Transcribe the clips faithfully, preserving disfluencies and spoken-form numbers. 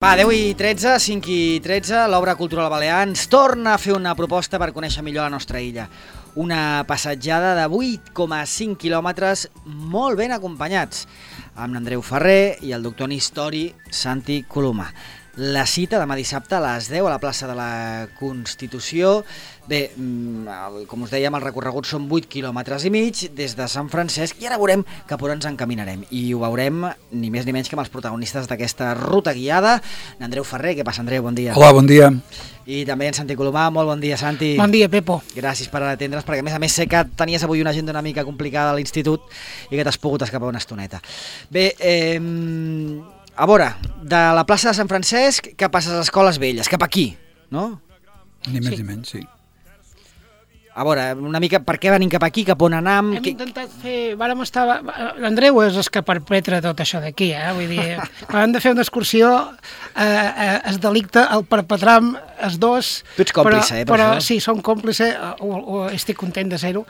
Va, deu i tretze, cinc i tretze, l'Obra Cultural Balear ens torna a fer una proposta per conèixer millor la nostra illa. Una passatjada de vuit coma cinc quilòmetres molt ben acompanyats, amb l'Andreu Ferrer i el doctor en història Santi Colomà. La cita demà dissabte a les deu a la plaça de la Constitució. Bé, com us dèiem, el recorregut són vuit quilòmetres i mig des de Sant Francesc i ara veurem cap on ens encaminarem. I ho veurem ni més ni menys que amb els protagonistes d'aquesta ruta guiada. Andreu Ferrer, què passa, Andreu? Bon dia. Hola, bon dia. I també en Santi Colomà, molt bon dia, Santi. Bon dia, Pepo. Gràcies per atendre's, perquè a més a més sé que tenies avui una agenda una mica complicada a l'institut i que t'has pogut escapar una estoneta. Bé, eh... a veure, de la plaça de Sant Francesc cap a les Escoles Velles, cap aquí, no? Ni més Sí. ni menys, sí. A veure, una mica, per què venim cap aquí, cap on anam? Hem Que... intentat fer... Vàrem estar... L'Andreu és el que perpetra tot això d'aquí, eh? Vull dir, quan hem de fer una excursió, eh, eh, es delicta el perpetrar els dos... Tu ets còmplice, però, eh, per però, això. Sí, som còmplice, o, o estic content de ser-ho.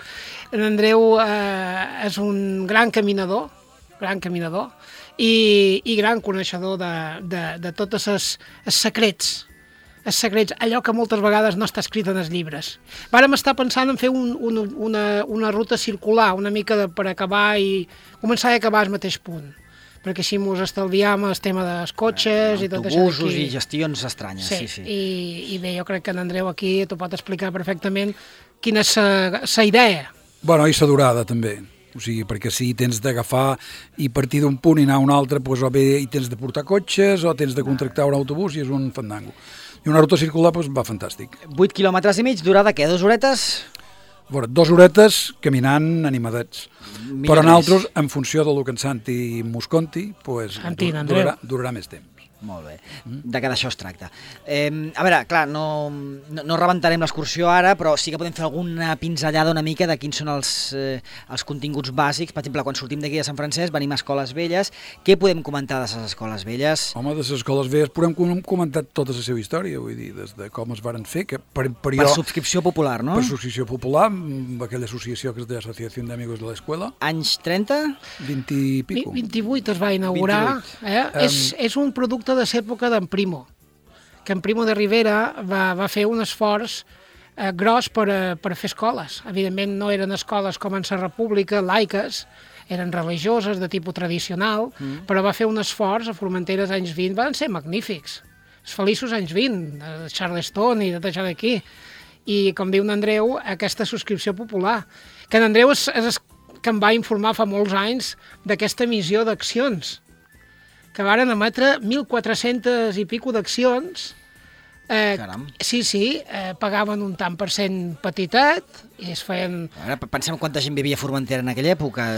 L'Andreu eh, és un gran caminador, gran caminador, i, i gran coneixedor de, de, de tots els, els secrets, els secrets, allò que moltes vegades no està escrit en els llibres. Vàrem estar pensant en fer un, un, una, una ruta circular, una mica de, per acabar i començar i acabar al mateix punt, perquè així ens estalviam el tema dels cotxes i tot això autobusos d'aquí. i gestions estranyes, sí, sí. I, i bé, jo crec que l'Andreu aquí t'ho pot explicar perfectament quina és la idea. Bueno, i sa durada, també. O sigui, perquè si tens d'agafar i partir d'un punt i anar a un altre, doncs, o bé hi tens de portar cotxes o tens de contractar un autobús i és un fandango. I una ruta circular doncs, va fantàstic. vuit quilòmetres i mig, durada què? Dues horetes? A veure, dues horetes caminant animadets. Millor Però més. nosaltres, en funció del que en Santi mos conti, doncs, Santi, dur- Andreu. durarà, durarà més temps. Molt bé, de que d'això es tracta. Eh, a veure, clar, no, no, no rebentarem l'excursió ara, però sí que podem fer alguna pinzellada una mica de quins són els, eh, els continguts bàsics. Per exemple, quan sortim d'aquí de Sant Francesc venim a Escoles Velles. Què podem comentar de les Escoles Velles? Home, de les escoles velles podem com- comentar tota la seva història, vull dir, des de com es varen fer, que per, per, Per jo, subscripció popular, no? per associació popular, amb aquella associació que és de l'Associació d'Amigos de l'Escola, Anys trenta? vint i pico. vint-i-vuit es va inaugurar. Eh? Um, és, és un producte de l'època d'en Primo, que en Primo de Rivera va, va fer un esforç eh, gros per, a, per a fer escoles. Evidentment no eren escoles com en la República, laiques, eren religioses, de tipus tradicional, mm. però va fer un esforç a Formentera als anys vint, van ser magnífics. Els feliços anys vint, de Charleston i de tot això d'aquí. I, com diu n'Andreu, aquesta subscripció popular. Que n'Andreu és, és el que em va informar fa molts anys d'aquesta missió d'accions, que varen emetre mil quatre-cents i pico d'accions. Eh, Caram. sí, sí, eh, pagaven un tant per cent petitet i es feien... A veure, pensem quanta gent vivia a Formentera en aquella època.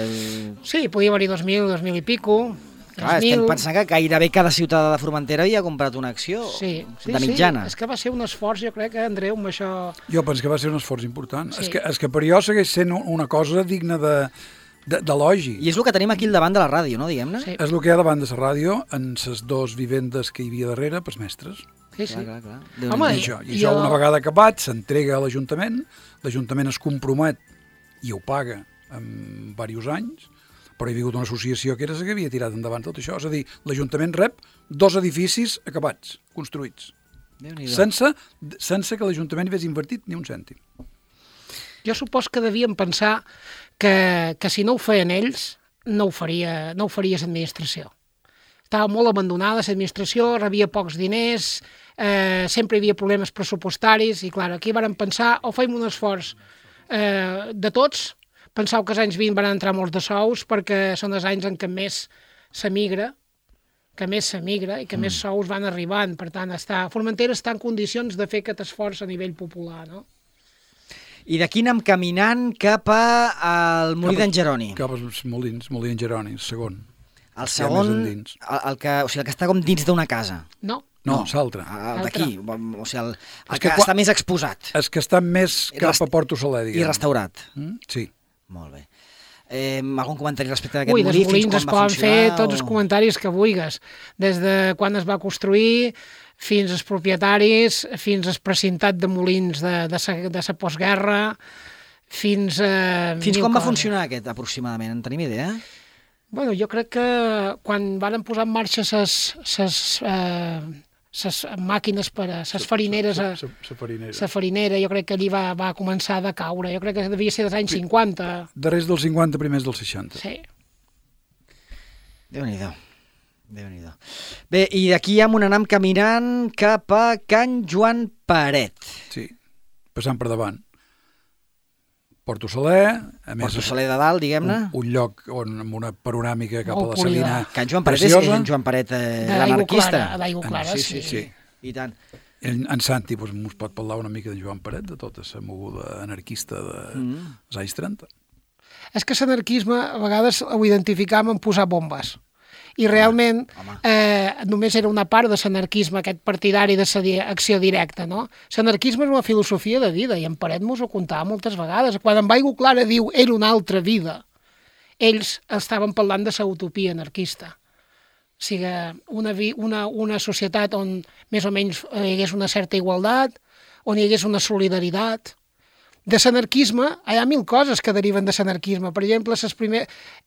Sí, podia haver-hi dos mil, dos mil i pico. Clar, estem pensant que gairebé cada ciutadà de Formentera havia comprat una acció Sí, sí, de mitjana. sí, és que va ser un esforç, jo crec que Andreu amb això... Jo penso que va ser un esforç important. Sí. És, que, és que per jo segueix sent una cosa digna de d'elogi. I és el que tenim aquí al davant de la ràdio, no, diguem-ne? Sí, És el que hi ha davant de la ràdio en les dues vivendes que hi havia darrere pels mestres. sí, sí. Clar, clar, clar. I, Home, això, i i això el- una vegada acabat s'entrega a l'Ajuntament, l'Ajuntament es compromet i ho paga en diversos anys, però hi ha hagut una associació que era la que havia tirat endavant tot això. És a dir, l'Ajuntament rep dos edificis acabats, construïts, Déu-n'hi-do. sense, sense que l'Ajuntament hi hagués invertit ni un cèntim. Jo supos que devien pensar que, que si no ho feien ells, no ho faria, no ho faria l'administració. Estava molt abandonada l'administració, rebia pocs diners, eh, sempre hi havia problemes pressupostaris, i clar, aquí varen pensar, o feim un esforç eh, de tots. Penseu que als anys vint van entrar molts de sous perquè són els anys en què més s'emigra, que més s'emigra i que mm. més sous van arribant. Per tant, està, Formentera està en condicions de fer aquest esforç a nivell popular, no? I d'aquí anem caminant cap a- al Molí d'en Jeroni. Cap als Molins, Molí en Jeroni, segon. El més segon, endins. el, el, que, o sigui, el que està com dins d'una casa. No? No, l'altre. El d'aquí, o sigui, el, el És que, que quan- està més exposat És que està més I cap rest- a Porto Soler, i diguem. restaurat. Mm? Sí. Molt bé. Eh, algun comentari respecte d'aquest Ui, dels molí? Fins molins quan es va poden fer funcionar, tots els o- comentaris que vulguis, des de quan es va construir fins als propietaris, fins al precintat de molins de, de, sa, de sa postguerra, fins a... Fins mil quan va coses. funcionar aquest, aproximadament? En tenim idea? Bueno, jo crec que quan van posar en marxa ses, ses, eh, ses màquines per a ses farineres, a, La farinera. la farinera, jo crec que allí va, va començar a decaure. Jo crec que devia ser dels anys cinquanta. Darrers dels cinquanta, primers dels seixanta. Sí. Déu-n'hi-do. Déu-n'hi-do. Bé, i d'aquí ja anem caminant cap a Can Joan Paret. Sí, passant per davant. Porto Saler, a més... Porto Saler de dalt, diguem-ne. Un, un lloc on, amb una panoràmica cap Molt a la Salina Can Joan Paret és preciosa. en Joan Paret eh, De l'Aigua l'anarquista. Clara, d'Aigua Clara, sí, sí. sí, sí. I tant. En, en Santi doncs, mos pot parlar una mica de Joan Paret, de tota la moguda anarquista dels Mm. anys trenta. És que l'anarquisme a vegades ho identificàvem en posar bombes. I realment home. eh, només era una part de l'anarquisme, aquest partidari de l'acció directa, no? L'anarquisme és una filosofia de vida, i en Paret mos ho contava moltes vegades. Quan en Aigua Clara diu era una altra vida, ells estaven parlant de la utopia anarquista. O sigui, una, vi, una, una societat on més o menys hi hagués una certa igualtat, on hi hagués una solidaritat. De l'anarquisme hi ha mil coses que deriven de l'anarquisme. Per exemple, el primer,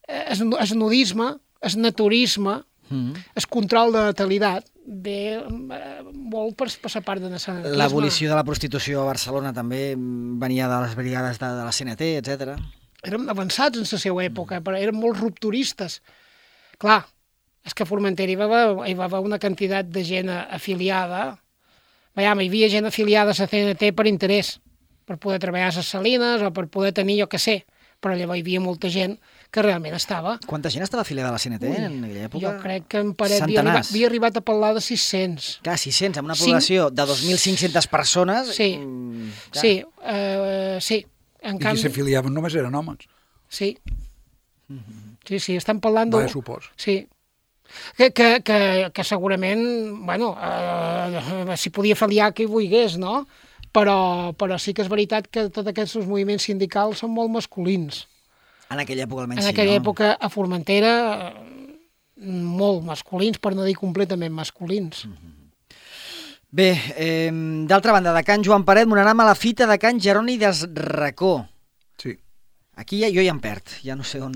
el nudisme, el naturisme, Mm. el control de la natalitat, ve eh, molt per, per la part de l'anarquisme. L'abolició de la prostitució a Barcelona també venia de les brigades de, de la C N T, etcètera. Érem avançats en la seva època, però eren molt rupturistes. Clar, és que a Formentera hi va haver, hi va haver una quantitat de gent afiliada. Veiem, hi havia gent afiliada a la C N T per interès, per poder treballar a les salines o per poder tenir, jo què sé, però llavors hi havia molta gent que realment estava. Quanta gent estava afiliada a la C N T Ui, en aquella època? Jo crec que en Paret havia arribat, havia arribat a parlar de sis-cents. Clar, sis-cents, amb una Cinc- població de dos mil cinc-centes persones. Sí, mm, clar. sí, uh, sí. En I qui canvi, s'afiliaven només eren homes. sí. Sí, sí, estan parlant de... Va, supos. Sí. Que, que, que, que segurament, bueno, eh, s'hi podia afiliar qui volgués, no? Però, però sí que és veritat que tots aquests moviments sindicals són molt masculins. En aquella època almenys En sí, aquella no? època a Formentera eh, molt masculins, per no dir completament masculins. Bé, eh, d'altra banda, de Can Joan Paret, m'anàvem a la fita de Can Jeroni des Racó. Sí. Aquí ja, jo ja em perd, ja no sé on...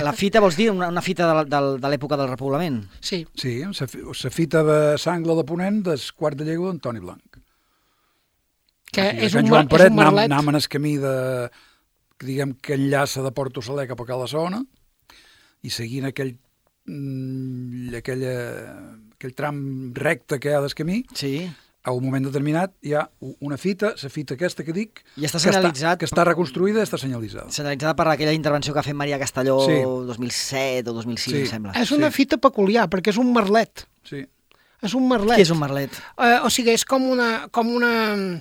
La fita vols dir una, una fita de, de, de l'època del repoblament? Sí, Sí, la fita de Sangla de Ponent del quart de llegó d'Antoni Blanc. que Aquí, de és Can un, Joan mar- és Paret, un merlet. anam en el camí de, que diguem que enllaça de Porto Saler cap a Cala Sona i seguint aquell, mm, aquella, aquell tram recte que hi ha del camí, Sí. a un moment determinat hi ha una fita, la fita aquesta que dic, I està que, senyalitzat. que està reconstruïda i està senyalitzada. Senyalitzada per aquella intervenció que ha fet Maria Castelló Sí. dos mil set o dos mil sis, Sí. em sembla. És una Sí. fita peculiar, perquè és un merlet. Sí. És un merlet. Què és un merlet? Eh, o sigui, és com una, com una...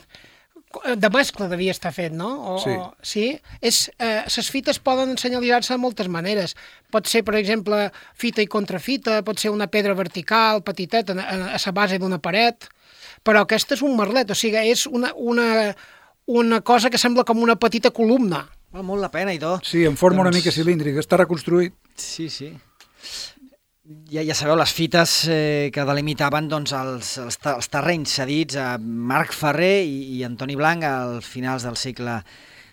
de mescla devia estar fet, no? O, Sí. O, sí? És, eh, les fites poden senyalitzar-se de moltes maneres. Pot ser, per exemple, fita i contrafita, pot ser una pedra vertical, petiteta, a, a, a la base d'una paret, però aquesta és un merlet, o sigui, és una, una, una cosa que sembla com una petita columna. Val molt la pena i tot. Sí, en forma una Doncs- mica cilíndrica, està reconstruït. Sí, sí. Ja, ja sabeu, les fites eh, que delimitaven doncs, els, els, te- els terrenys cedits a Marc Ferrer i, i Antoni Blanc als finals del segle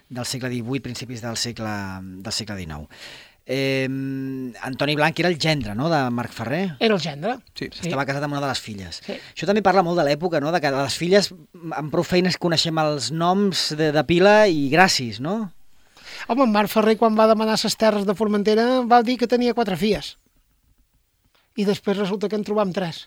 del segle divuit, principis del segle, del segle dinou. Eh, Antoni Blanc era el gendre, no?, de Marc Ferrer. Era el gendre. Sí. Sí. Estava casat amb una de les filles. Sí. Això també parla molt de l'època, no?, de que les filles amb prou feines coneixem els noms de, de pila i gràcies, no? Home, en Marc Ferrer, quan va demanar les terres de Formentera, va dir que tenia quatre filles. I després resulta que en trobam tres.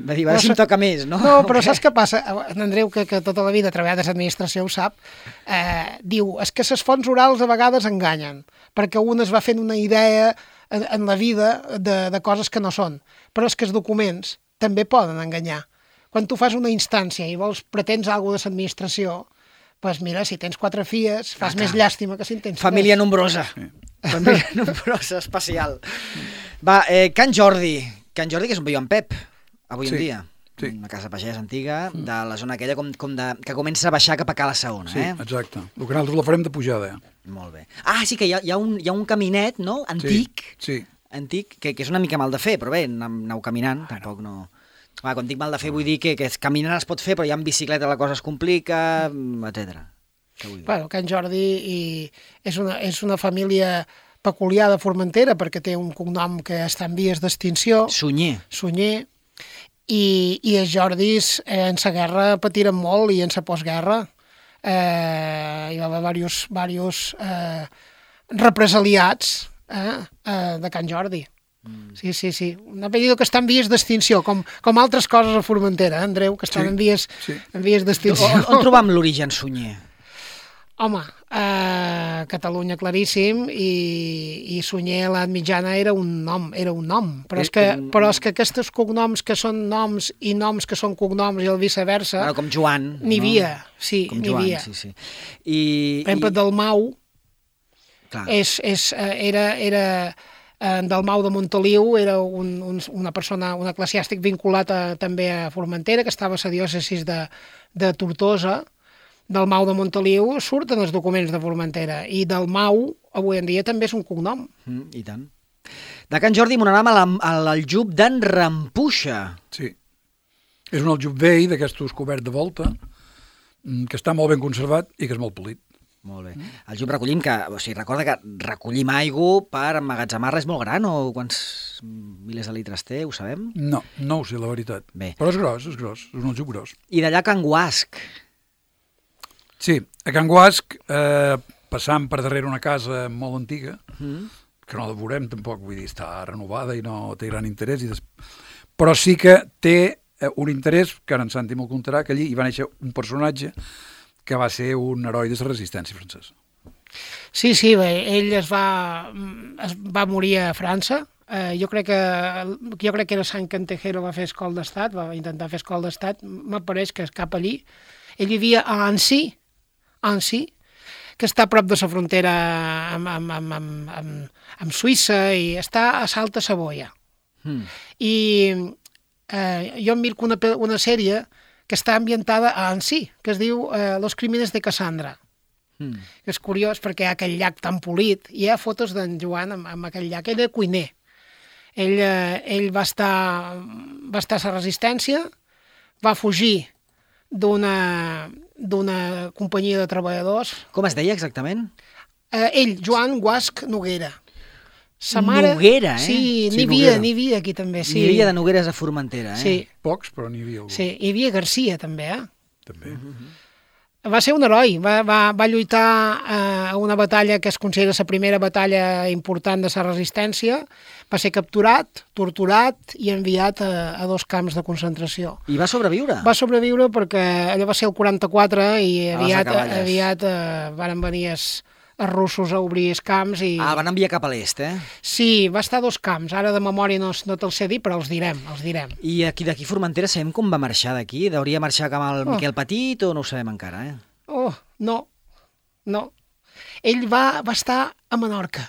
Va dir, a veure si em toca més, no? No, però O què? saps què passa? En Andreu, que, que tota la vida ha treballat a l'administració, ho sap, eh, diu, és que les fonts orals a vegades enganyen, perquè un es va fent una idea en, en la vida de, de coses que no són, però és que els documents també poden enganyar. Quan tu fas una instància i vols pretens alguna de l'administració, doncs mira, si tens quatre filles, fas Ah, més clar. llàstima que si en tens Família tres. nombrosa. Família nombrosa, especial. Va, eh, Can Jordi. Can Jordi, que és on viu en Pep, avui Sí, en dia. sí. Una casa pagès antiga, de la zona aquella com, com de, que comença a baixar cap a Cala Saona, Sí, eh? exacte. El que nosaltres la farem de pujada. Eh? Molt bé. Ah, sí que hi ha, hi ha, un, hi ha un caminet, no?, antic, Sí, sí. antic que, que és una mica mal de fer, però bé, aneu, aneu caminant, tampoc no... Va, quan dic mal de fer vull dir que, que caminant es pot fer, però ja en bicicleta la cosa es complica, etcètera. Què vull dir? Bueno, Can Jordi i és, una, és una família peculiar de Formentera, perquè té un cognom que està en vies d'extinció. Sunyer. Sunyer. I, i els Jordis eh, en la guerra patiren molt, i en la postguerra eh, hi va haver diversos, diversos eh, represaliats eh, eh, de Can Jordi. Mm. Sí, sí, sí. Un apellido que està en vies d'extinció, com, com altres coses a Formentera, eh, Andreu, que estan sí, en vies, sí. en vies d'extinció. On, on trobam l'origen Sunyer? Home, eh, Catalunya claríssim, i, i Sunyer a l'edat mitjana era un nom, era un nom, però és, que, però és que aquests cognoms que són noms i noms que són cognoms i el viceversa... Bueno, com Joan. N'hi havia, no? Sí, com n'hi Joan, havia. Sí, sí. I, per exemple, i... Dalmau Clar. és, és, era, era en Dalmau de Montoliu, era un, un, una persona, un eclesiàstic vinculat a, també a Formentera, que estava a la diòcesis de, de Tortosa. Dalmau de Montoliu surten els documents de Formentera, i Dalmau avui en dia també és un cognom. Mm, I tant. De Can Jordi m'anàvem a l'aljub d'en Rampuixa. Sí. És un aljub vell d'aquestos cobert de volta, que està molt ben conservat i que és molt polit. Molt bé. El aljub recollim, que, o sigui, recorda que recollim aigua per emmagatzemar-la és molt gran, o quants milers de litres té, ho sabem? No, no ho sé, la veritat. Bé. Però és gros, és gros, és un aljub gros. I d'allà Can Guasc. Sí, a Can Guasc, eh, passant per darrere una casa molt antiga, mm. que no la veurem tampoc, vull dir, està renovada i no té gran interès, i des... però sí que té eh, un interès, que ara en Santi me'l contarà, que allí hi va néixer un personatge que va ser un heroi de la resistència francesa. Sí, sí, bé, ell es va, es va morir a França. Eh, jo, crec que, jo crec que era Sant Cantejero, va fer escola d'estat, va intentar fer escola d'estat, m'apareix que és cap allí. Ell vivia a Annecy, Annecy, que està a prop de la frontera amb, amb, amb, amb, amb, amb Suïssa, i està a Salta Savoia. Mm. I eh, jo em mirco una, una sèrie que està ambientada a Annecy, que es diu eh, Los Crímenes de Cassandra. Mm. És curiós perquè hi ha aquell llac tan polit, i hi ha fotos d'en Joan amb, amb aquell llac. Ell era cuiner. Ell, eh, ell va estar, va estar a la resistència, va fugir d'una d'una companyia de treballadors. Com es deia exactament? Eh, ell, Joan Guasc Noguera. Sa mare... Noguera, eh? Sí, sí n'hi havia, n'hi havia aquí també. Sí. N'hi havia de Nogueres a Formentera, eh? Sí. Pocs, però n'hi havia algú. Sí, hi havia Garcia també, eh? També. Uh-huh. Va ser un heroi, va, va, va lluitar eh, a una batalla que es considera la primera batalla important de la resistència, va ser capturat, torturat i enviat a, a dos camps de concentració. I va sobreviure? Va sobreviure perquè allò va ser el quaranta-quatre i aviat, aviat eh, van venir els, els russos a obrir els camps. I... Ah, van enviar cap a l'est, eh? Sí, va estar a dos camps, ara de memòria no, no te'ls sé dir, però els direm, els direm. I aquí d'aquí Formentera sabem com va marxar d'aquí? Hauria marxar com el oh. Miquel Petit o no ho sabem encara, eh? Oh, no, no. Ell va, va estar a Menorca.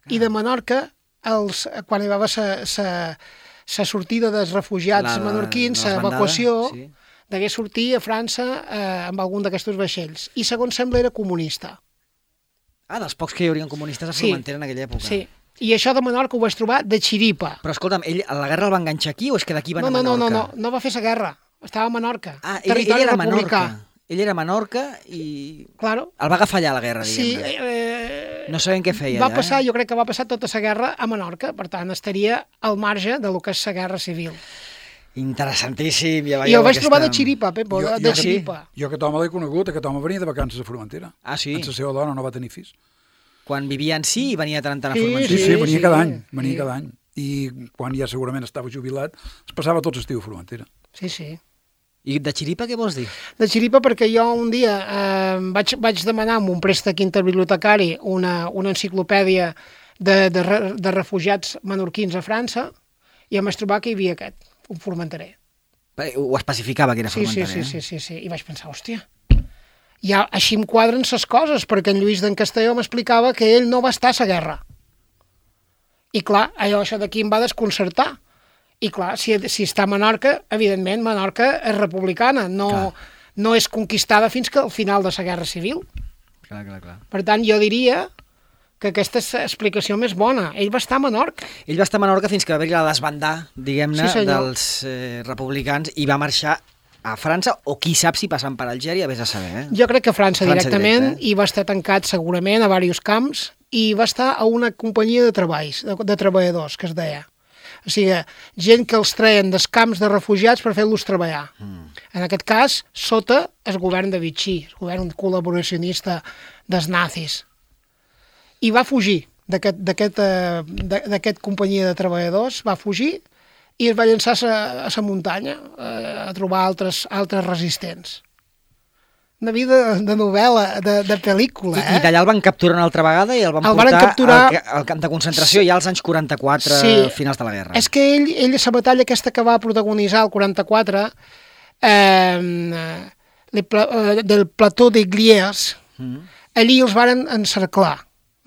Ah. I de Menorca, els, quan hi va haver la sortida dels refugiats la, menorquins, l'evacuació, sí. degué sortir a França eh, amb algun d'aquests vaixells. I segons sembla era comunista. Ah, dels pocs que hi haurien comunistes a Formentera sí, en aquella època. Sí. I això de Menorca ho vaig trobar de xiripa. Però escolta'm, ell a la guerra el va enganxar aquí o és que d'aquí van no, a Menorca? No, no, no, no, no va fer la guerra. Estava a Menorca. Ah, ell, ell era a Menorca. Ell era a Menorca i claro. El va agafar allà a la guerra, diguem-ne. Sí, eh, no sabem què feia va allà. Passar, eh? Jo crec que va passar tota la guerra a Menorca, per tant, estaria al marge de lo que és la guerra civil. Interessantíssim. Ja I el vaig aquesta... trobar de xiripa, Pepo, jo, de, de jo, xiripa. Sí. Jo aquest home l'he conegut, aquest home venia de vacances a Formentera. Ah, sí? En la seva dona no va tenir fills. Quan vivia en sí, venia tant a sí, Formentera. Sí, sí, venia sí, cada any, venia sí. cada any. I quan ja segurament estava jubilat, es passava tot l'estiu a Formentera. Sí, sí. I de xiripa què vols dir? De xiripa perquè jo un dia eh, vaig, vaig demanar amb un préstec interbibliotecari una, una enciclopèdia de, de, de refugiats menorquins a França i em vaig trobar que hi havia aquest, un formenterer. Ho especificava que era sí, formenterer. Sí, sí, sí, sí, sí, i vaig pensar, hòstia, ja així em quadren ses coses, perquè en Lluís d'en Castelló m'explicava que ell no va estar a la guerra. I clar, allò això d'aquí em va desconcertar. I clar, si, si està a Menorca, evidentment, Menorca és republicana, no, no és conquistada fins que al final de la Guerra Civil. Clar, clar, clar. Per tant, jo diria que aquesta és l'explicació més bona. Ell va estar a Menorca. Ell va estar a Menorca fins que va haver-hi la desbandar, diguem-ne, sí, dels eh, republicans i va marxar a França, o qui sap si passant per Algèria, vés a saber, eh? Jo crec que a França, França directament, directe, eh? i va estar tancat segurament a diversos camps, i va estar a una companyia de treballs, de, de treballadors, que es deia. O sigui, gent que els treien dels camps de refugiats per fer-los treballar. Mm. En aquest cas, sota el govern de Vichy, el govern col·laboracionista dels nazis. I va fugir d'aquest d'aquest companyia de treballadors, va fugir i es va llançar a la muntanya a trobar altres, altres resistents. Una vida de novel·la, de, de pel·lícula, eh? I, i d'allà el van capturar una altra vegada i el van el portar capturar... al, al camp de concentració ja als anys quaranta-quatre, sí. finals de la guerra. És que ell, ell la batalla aquesta que va protagonitzar el quaranta-quatre, eh, del plató de Gliers, mm. allí els varen encerclar.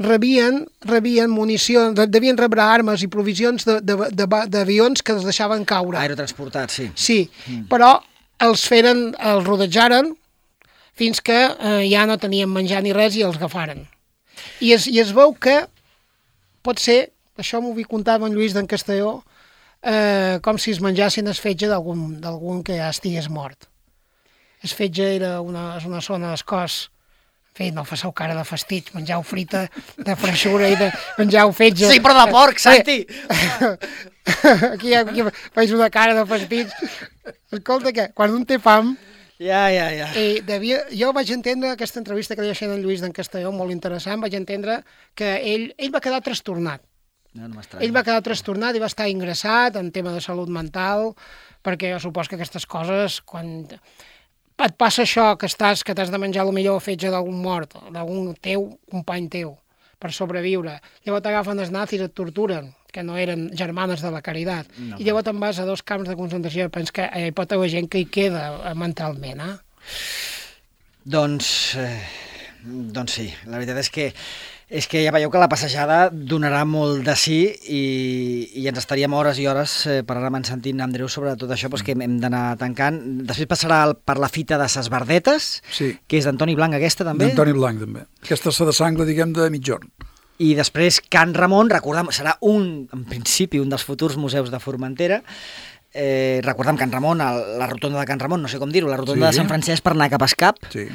Rebien, rebien munició, devien rebre armes i provisions d'avions que els deixaven caure. Aerotransportats, sí. Sí, mm. però els feren, els rodejaren fins que eh, ja no tenien menjar ni res i els agafaren. I es, i es veu que pot ser, això m'ho vull contar amb en Lluís d'en Castelló, eh, com si es menjassin el fetge d'algun que ja estigués mort. El fetge era una, una zona del cos. En fi, no fasseu cara de fastig, menjau frita de freixura i de menjau fetge. Sí, però de porc, Santi! Aquí, aquí faig una cara de fastig. Escolta, que quan un té fam... Ja, ja, ja. I devia, jo vaig entendre aquesta entrevista que li vaig fer en Lluís d'en Castelló, molt interessant, vaig entendre que ell, ell va quedar trastornat. No, no ell va quedar trastornat i va estar ingressat en tema de salut mental, perquè jo supos que aquestes coses, quan et passa això, que estàs que t'has de menjar el millor fetge d'algun mort, d'algun teu, company teu, per sobreviure, llavors t'agafen els nazis, et torturen, que no eren germanes de la caritat, no. I llavors te'n vas a dos camps de concentració i penses que hi pot haver gent que hi queda mentalment, eh? Doncs, eh, doncs sí, la veritat és que és que ja veieu que la passejada donarà molt de sí i, i ens estaríem hores i hores eh, parlant amb en Santi i en Andreu sobre tot això, doncs que hem d'anar tancant. Després passarà el, per la fita de ses Verdetes, sí. Que és d'Antoni Blanc aquesta també. D'Antoni Blanc també. Aquesta és la de sangle, diguem, de mitjorn. I després Can Ramon, recordem, serà un, en principi, un dels futurs museus de Formentera. Eh, recordem Can Ramon, el, la rotonda de Can Ramon, no sé com dir-ho, la rotonda sí. de Sant Francesc per anar cap a Escap. Sí.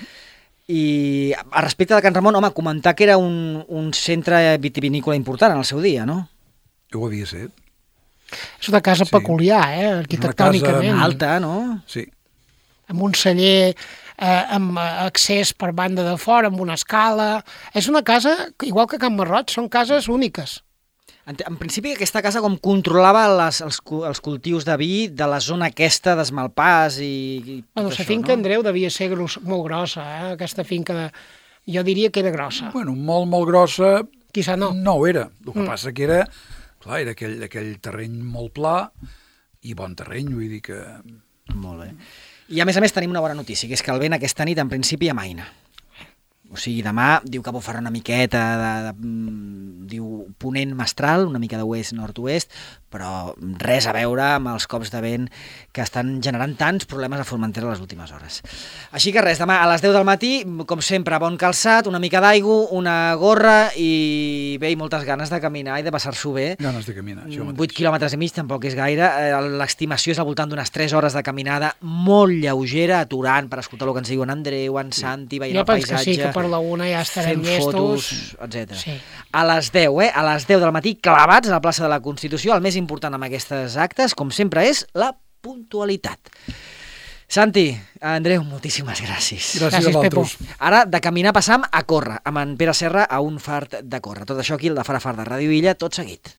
I a respecte de Can Ramon, home, comentar que era un, un centre vitivinícola important en el seu dia, no? Ho havia set. És una casa sí. peculiar, eh? Arquitectònicament. Casa alta, no? Sí. Amb un celler, eh, amb accés per banda de fora, amb una escala. És una casa, igual que Can Marroig, són cases úniques. En, en principi aquesta casa com controlava les, els, els cultius de vi de la zona aquesta d'Esmalpàs i, i bueno, la finca no? Andreu devia ser gros, molt grossa, eh? Aquesta finca de... jo diria que era grossa. Bueno, molt, molt grossa... Quizà no. No ho era. El que mm. passa que era, clar, era aquell, aquell terreny molt pla i bon terreny, vull dir que... Molt bé. I a més a més tenim una bona notícia, que és que el vent aquesta nit en principi amaina. O sigui, demà diu que bufarà una miqueta de, de, de, diu ponent mestral, una mica de oest-nord-oest, però res a veure amb els cops de vent que estan generant tants problemes a Formentera les últimes hores. Així que res, demà a les deu del matí, com sempre, bon calçat, una mica d'aigua, una gorra i bé, i moltes ganes de caminar i de passar-s'ho bé. Ganes de caminar, això mateix. vuit quilòmetres i mig tampoc és gaire. L'estimació és al voltant d'unes tres hores de caminada molt lleugera, aturant per escoltar el que ens diu en Andreu, en Santi, veient el paisatge. Jo penso que sí, que per la una ja estarem llestos. Fotos, etcètera. Sí. A les deu, eh? A les deu del matí, clavats a la plaça de la Constitució. El més important amb aquestes actes, com sempre, és la puntualitat. Santi, Andreu, moltíssimes gràcies. Gràcies, gràcies a vosaltres. Ara, de caminar, passam a córrer, amb en Pere Serra a un fart de córrer. Tot això aquí, el de Fara Fart de Ràdio Illa, tot seguit.